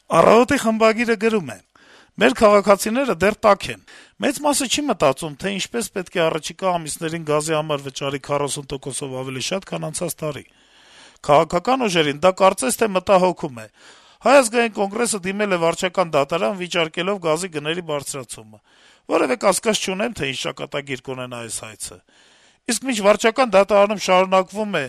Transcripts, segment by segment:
Առավոտի խմբագիրը գրում է. - «Մեր քաղաքացիները դեռ տաք են: Մեծ մասը չի մտածում, թե ինչպես պետք է առաջիկա ամիսներին գազի համար վճարի 40%-ով ավելի շատ, քան անցած տարի: Քաղաքական ուժերին դա կարծես թե մտահոգում է: Հայ ազգային կոնգրեսը դիմել է վարչական դատարան` վիճարկելով գազի գների բարձրացումը: Որեւէ կասկած չունեմ, թե ինչ ճակատագիր կունենա այս հայցը: Իսկ մինչ վարչական դատարանում շարունակվում է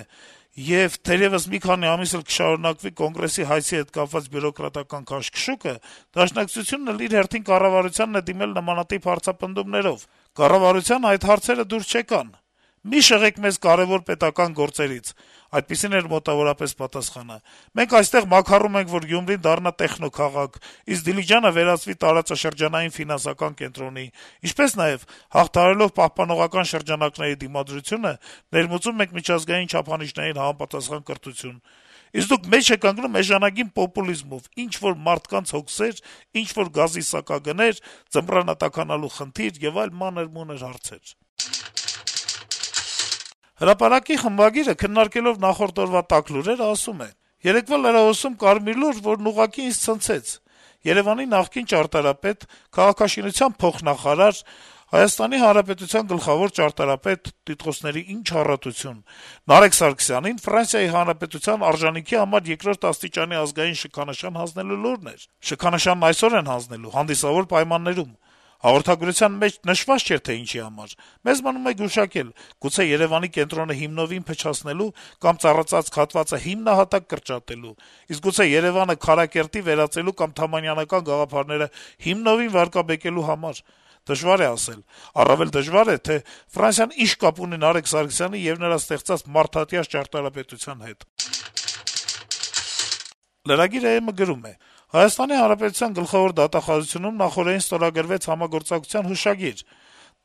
եւ թերեւս մի քանի ամիս էլ կշարունակվի Կոնգրեսի հայցի հետ կապված բյուրոկրատական քաշքշուկը, Դաշնակցությունն էլ իր հերթին կառավարությանն է դիմել նմանատիպ հարցապնդումներով: Կառավարությանը այդ հարցերը դուր չեկան: «Մի շեղեք մեզ կարեւոր պետական գործերից», այդպիսին էր մոտավորապես պատասխանը: «Մենք այստեղ մաքարում ենք, որ Գյումրին դառնա տեխնոքաղաք, իսկ Դիլիջանը վերածվի տարածաշրջանային ֆինանսական կենտրոնի, ինչպես նաեւ, հաղթահարելով պահպանողական շրջանակների դիմադրությունը, ներմուծում ենք միջազգային չափանիշներին համապատասխան կրթություն: Իսկ դուք մեջ եք ընկնում էժանագին պոպուլիզմով, ինչ-որ մարդկանց հոգսեր, ինչ-որ գազի սակագներ, ձմռանը տաքանալու խնդիր եւ այլ մանր-մունր հարցեր»: «Հրապարակ»-ի խմբագիրը, քննարկելով նախորդ օրվա տաք լուրերը, ասում է. - «Երեկվա լրահոսում կար մի լուր, որն ուղղակի ինձ ցնցեց: Երեւանի նախկին ճարտարապետ, քաղաքաշինության փոխնախարար, Հայաստանի Հանրապետության գլխավոր ճարտարապետ, տիտղոսների ինչ առատություն, Նարեկ Սարգսյանին Ֆրանսիայի Հանրապետության արժանիքի համար 2-րդ աստիճանի ազգային շքանշան հանձնելու լուրն էր: Շքանշանն այսօր են հանձնելու, հանդիսավոր պայմաններում: Հաղորդագրության մեջ նշված չէր, թե ինչի համար: Մեզ մնում է գուշակել` գուցե Երեւանի կենտրոնը հիմնովին փչացնելու կամ ծառացած հատվածը հիմնահատակ կրճատելու, իսկ գուցե Երեւանը Քարակերտի վերածելու կամ թամանյանական գաղափարները հիմնովին վարկաբեկելու համար: Դժվար է ասել: Առավել դժվար է, թե Ֆրանսիան ինչ կապ ունի Նարեկ Սարգսյանի եւ նրա ստեղծած մարդատյաş ճարտարապետության հետ»: Lragir.am-ը գրում է. - «Հայաստանի Հանրապետության գլխավոր դատախազությունում նախօրեին ստորագրվեց համագործակցության հուշագիր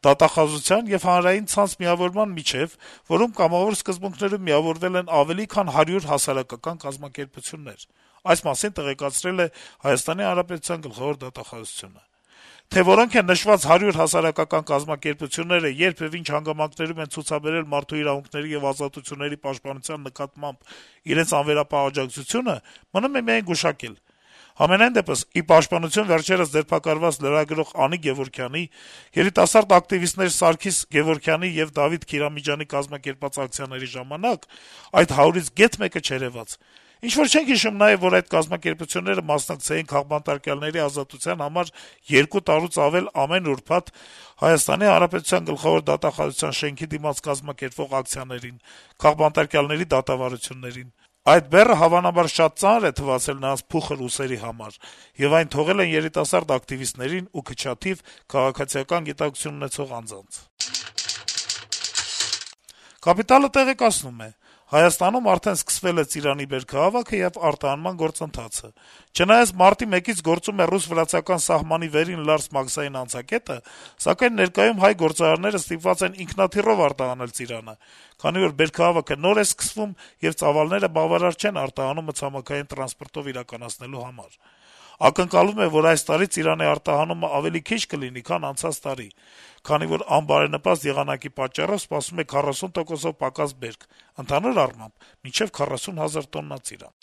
դատախազության եւ հանրային ցանց միավորման միջեւ, որում կամավոր սկզբունքներով միավորվել են ավելի քան 100 հասարակական կազմակերպություններ: Այս մասին տեղեկացրել է ՀՀ գլխավոր դատախազությունը: Թե որոնք են նշված 100 հասարակական կազմակերպությունները, երբ եւ ինչ հանգամանքներում են ցուցաբերել մարդու իրավունքների եւ ազատությունների պաշտպանության նկատմամբ իրենց անվերապահ աջակցությունը, մնում է միայն գուշակել: Համենայն դեպս, ի պաշտպանություն վերջերս ձերբակալված լրագրող Անի Գեւորգյանի, երիտասարդ ակտիվիստներ Սարգիս Գեւորգյանի եւ Դավիթ Քիրանոյանի կազմակերպած ակցիաների ժամանակ այդ 100-ից գեթ մեկը չերեւաց: Ինչ-որ չենք հիշում նաեւ, որ այդ կազմակերպությունները մասնակցեին քաղբանտարկյալների ազատության համար 2 տարուց ավել ամեն ուրբաթ ՀՀ գլխավոր դատախազության շենքի դիմաց կազմակերպվող ակցիաներին, քաղբանտարկյալների դատավարություններին: Այդ բեռը հավանաբար շատ ծանր է թվացել նրանց փուխր ուսերի համար, եւ այն թողել են երիտասարդ ակտիվիստներին ու քչաթիվ քաղաքացիական գիտակցություն ունեցող անձանց»: «Կապիտալ»-ը տեղեկացնում է. - «Հայաստանում արդեն սկսվել է Ծիրանի բերքահավաքը եւ արտահանման գործընթացը: Չնայած մարտի 1-ից գործում է ռուս-վրացական սահմանի վերին Լարս մաքսային անցակետը, սակայն ներկայում հայ գործարարները ստիպված են ինքնաթիռով արտահանել Ծիրանը, քանի որ բերքահավաքը նոր է սկսվում, եւ ծավալները բավարար չեն արտահանումը ցամաքային տրանսպորտով իրականացնելու համար: Ակնկալվում է, որ այս տարի Ծիրանի արտահանումը ավելի քիչ կլինի, քան անցած տարի, քանի որ անբարենպաստ եղանակի պատճառով սպասվում է 40%-ով պակաս բերք, ընդհանուր առմամբ` մինչեւ 40 հազար տոննա Ծիրան»: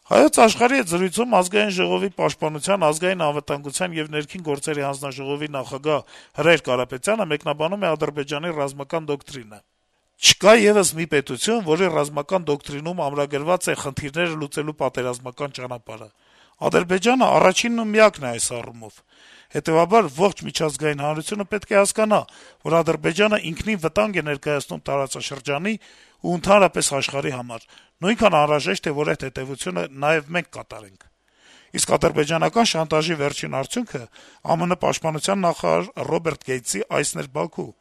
«Հայոց Աշխարհ»-ի հետ զրույցում Ազգային ժողովի պաշտպանության, ազգային անվտանգության եւ ներքին գործերի հանձնաժողովի նախագահ Հրայր Կարապետյանը մեկնաբանում է Ադրբեջանի ռազմական դոկտրինը. - «Չկա եւս մի պետություն, որի ռազմական դոկտրինում ամրագրված է խնդիրները լուծելու պատերազմական ճանապարհը: Ադրբեջանը առաջինն ու միակն է այս առումով: Հետեւաբար ողջ միջազգային հանրությունը պետք է հասկանա, որ Ադրբեջանը ինքնին վտանգ է ներկայացնում տարածաշրջանի ու ընդհանրապես աշխարհի համար: Նույնքան անհրաժեշտ է, որ այդ հետեւությունը նաեւ մենք կատարենք: Իսկ ադրբեջանական շանտաժի վերջին արդյունքը ԱՄՆ պաշտպանության նախարար Ռոբերտ Գեյթսի այցն էր Բաքու: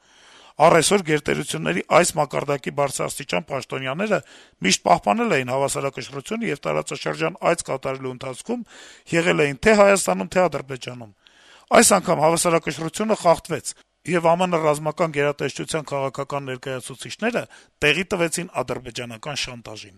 Առ այսօր գերտերությունների այս մակարդակի բարձրաստիճան պաշտոնյաները միշտ պահպանել էին հավասարակշռությունը եւ տարածաշրջան այց կատարելու ընթացքում եղել էին թե Հայաստանում, թե Ադրբեջանում: Այս անգամ հավասարակշռությունը խախտվեց, եւ ԱՄՆ ռազմական գերատեսչության քաղաքական ներկայացուցիչները տեղի տվեցին ադրբեջանական շանտաժին»: